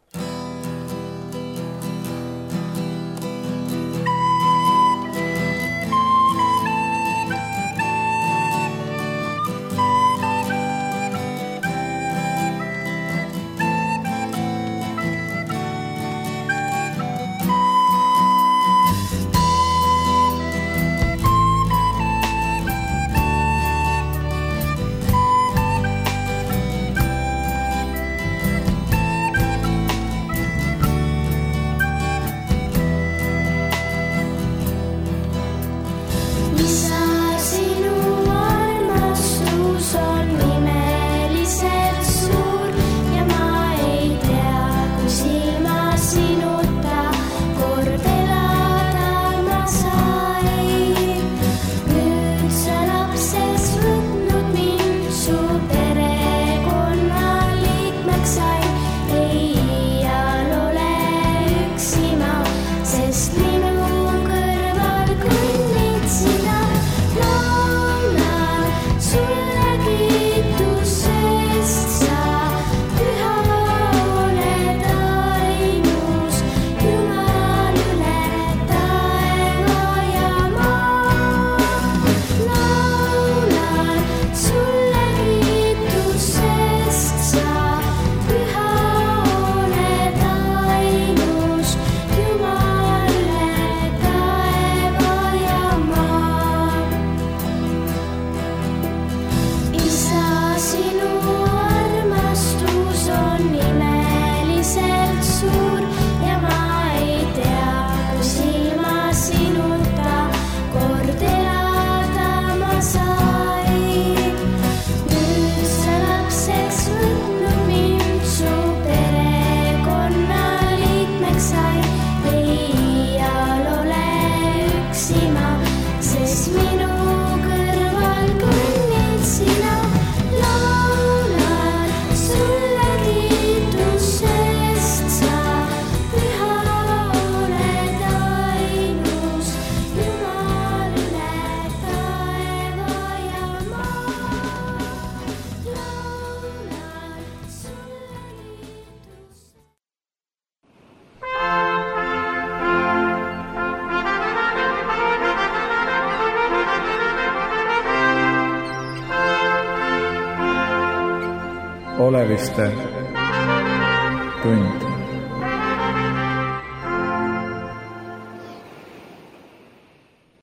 Oleviste tund.